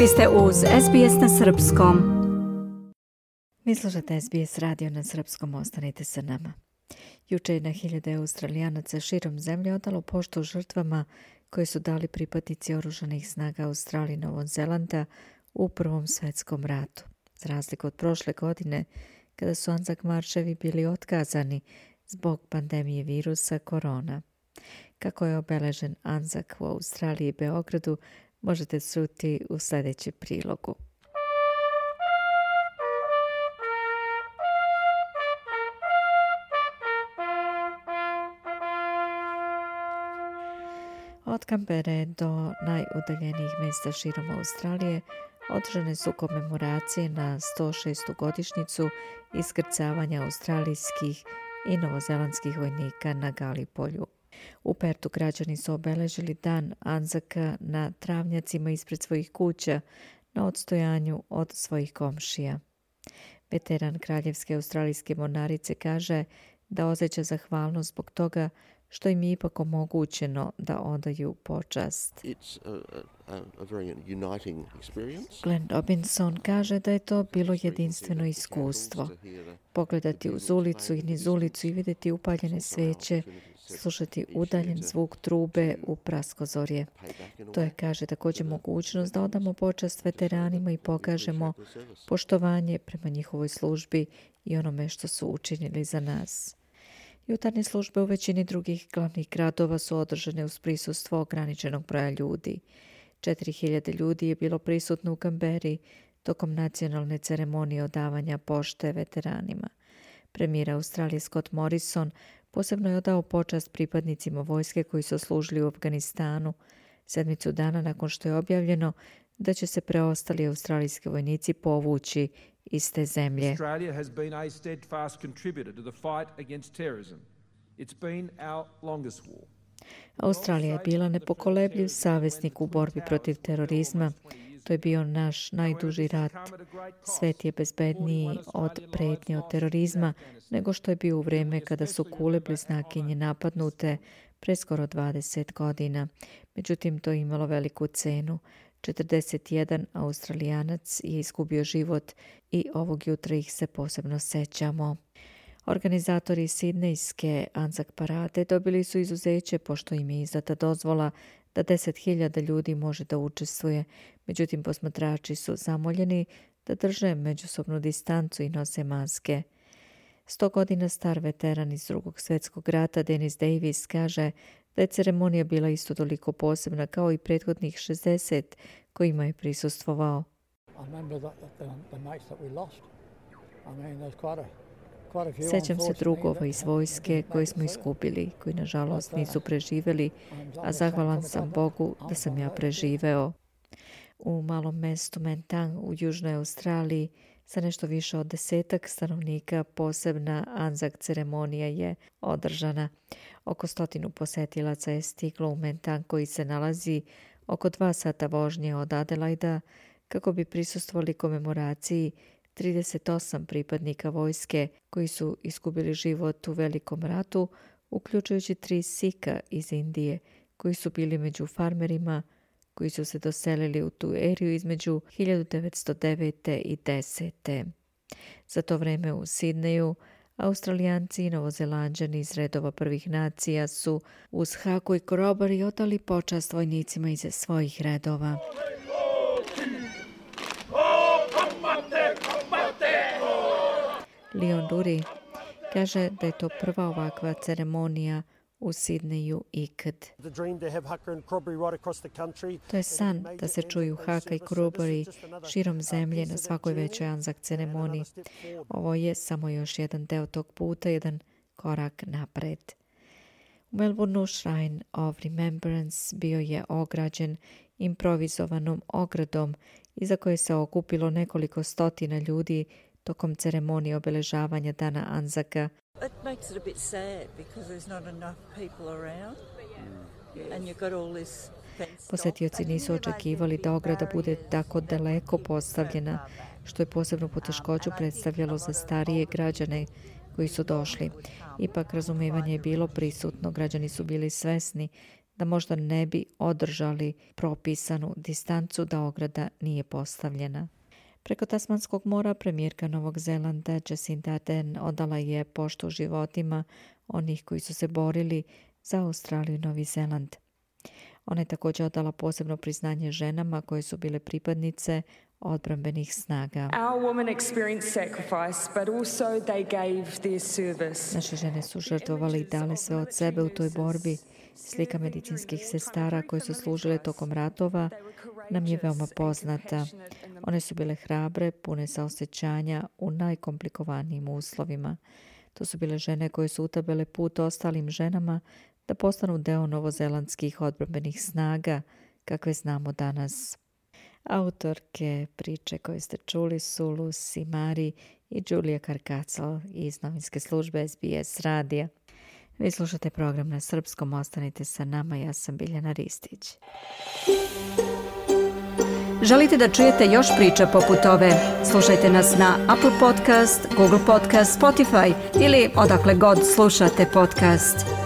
Vi ste uz SBS na Srpskom. Vi slušate SBS radio na Srpskom, ostanite sa nama. Juče je na hiljade Australijanaca širom zemlje odalo poštu žrtvama koje su dali pripadnici oružanih snaga Australije i Novog Zelanda u Prvom svjetskom ratu. Za razliku od prošle godine, kada su Anzac marševi bili otkazani zbog pandemije virusa korona. Kako je obeležen Anzac u Australiji i Beogradu, možete čuti u sljedećem prilogu. Od Canberre do najudaljenijih mjesta širom Australije održane su komemoracije na 106. godišnjicu iskrcavanja australijskih i novozelandskih vojnika na Galipolju. U Pertu građani su obeležili dan Anzaca na travnjacima ispred svojih kuća na odstojanju od svojih komšija. Veteran Kraljevske australijske mornarice kaže da osjeća zahvalnost zbog toga što im je ipak omogućeno da odaju počast. Glenn Robinson kaže da je to bilo jedinstveno iskustvo. Pogledati uz ulicu i niz ulicu i vidjeti upaljene sveće, slušati udaljen zvuk trube u praskozorje. To je, kaže, također mogućnost da odamo počast veteranima i pokažemo poštovanje prema njihovoj službi i onome što su učinili za nas. Jutarnje službe u većini drugih glavnih gradova su održane uz prisustvo ograničenog broja ljudi. 4000 ljudi je bilo prisutno u Canberri tokom nacionalne ceremonije odavanja pošte veteranima. Premijer Australije Scott Morrison posebno je odao počast pripadnicima vojske koji su služili u Afganistanu 7 dana nakon što je objavljeno da će se preostali australijski vojnici povući iz te zemlje. Australia has been a steadfast contributor to the fight against terrorism. It's been our longest war. Australija je bila nepokolebljiv saveznik u borbi protiv terorizma. To je bio naš najduži rat. Svet je bezbedniji od prijetnje od terorizma nego što je bio u vrijeme kada su kule bliznakinje napadnute pre skoro 20 godina. Međutim, to je imalo veliku cenu. 41 Australijanac je izgubio život i ovog jutra ih se posebno sećamo. Organizatori sidnejske Anzac parade dobili su izuzeće pošto im je izdata dozvola da 10.000 ljudi može da učestvuje. Međutim, posmatrači su zamoljeni da drže međusobnu distancu i nose maske. 100 godina star veteran iz Drugog svjetskog rata Dennis Davis kaže da je ceremonija bila isto toliko posebna kao i prethodnih 60 kojima je prisustvovao. Sjećam se drugova iz vojske koje smo izgubili, koji nažalost nisu preživjeli, a zahvalan sam Bogu da sam ja preživeo. U malom mestu Mentang u Južnoj Australiji sa nešto više od 10 stanovnika posebna Anzac ceremonija je održana. Oko 100 posetilaca je stiglo u Mentang koji se nalazi oko 2 sata vožnje od Adelaida kako bi prisustvovali komemoraciji 38 pripadnika vojske koji su izgubili život u Velikom ratu, uključujući 3 Sika iz Indije koji su bili među farmerima koji su se doselili u tu eriju između 1909. i 10. Za to vreme u Sidneju Australijanci i Novozelanđani iz redova prvih nacija su uz haku i korobari odali počast vojnicima iz svojih redova. Leon Dury kaže da je to prva ovakva ceremonija u Sidneju ikad. To je san da se čuju haka i korobari širom zemlje na svakoj većoj Anzac ceremoniji. Ovo je samo još jedan deo tog puta, jedan korak napred. U Melbourneu Shrine of Remembrance bio je ograđen improvizovanom ogradom iza koje se okupilo nekoliko stotina ljudi tokom ceremonije obeležavanja dana Anzaca. It makes it a bit sad because there's not enough people around and you've got all this Posetioci nisu očekivali da ograda bude tako daleko postavljena, što je posebno poteškoću predstavljalo za starije građane koji su došli. Ipak razumevanje je bilo prisutno, građani su bili svesni da možda ne bi održali propisanu distancu da ograda nije postavljena. Preko Tasmanskog mora premijerka Novog Zelanda Jacinda Ardern odala je poštu životima onih koji su se borili za Australiju i Novi Zeland. Ona je također odala posebno priznanje ženama koje su bile pripadnice odbrambenih snaga. Naše žene su žrtvovali i dale sve od sebe u toj borbi. Slika medicinskih sestara koje su služile tokom ratova nam je veoma poznata. One su bile hrabre, pune saosjećanja u najkomplikovanijim uslovima. To su bile žene koje su utabele put ostalim ženama da postanu deo novozelandskih odbrambenih snaga, kakve znamo danas. Autorke priče koje ste čuli su Lucy Mari i Julia Karkacal iz novinske službe SBS radija. Vi slušate program na srpskom, ostanite sa nama, ja sam Biljana Ristić. Želite da čujete još priča poput ove? Slušajte nas na Apple Podcast, Google Podcast, Spotify ili odakle god slušate podcast.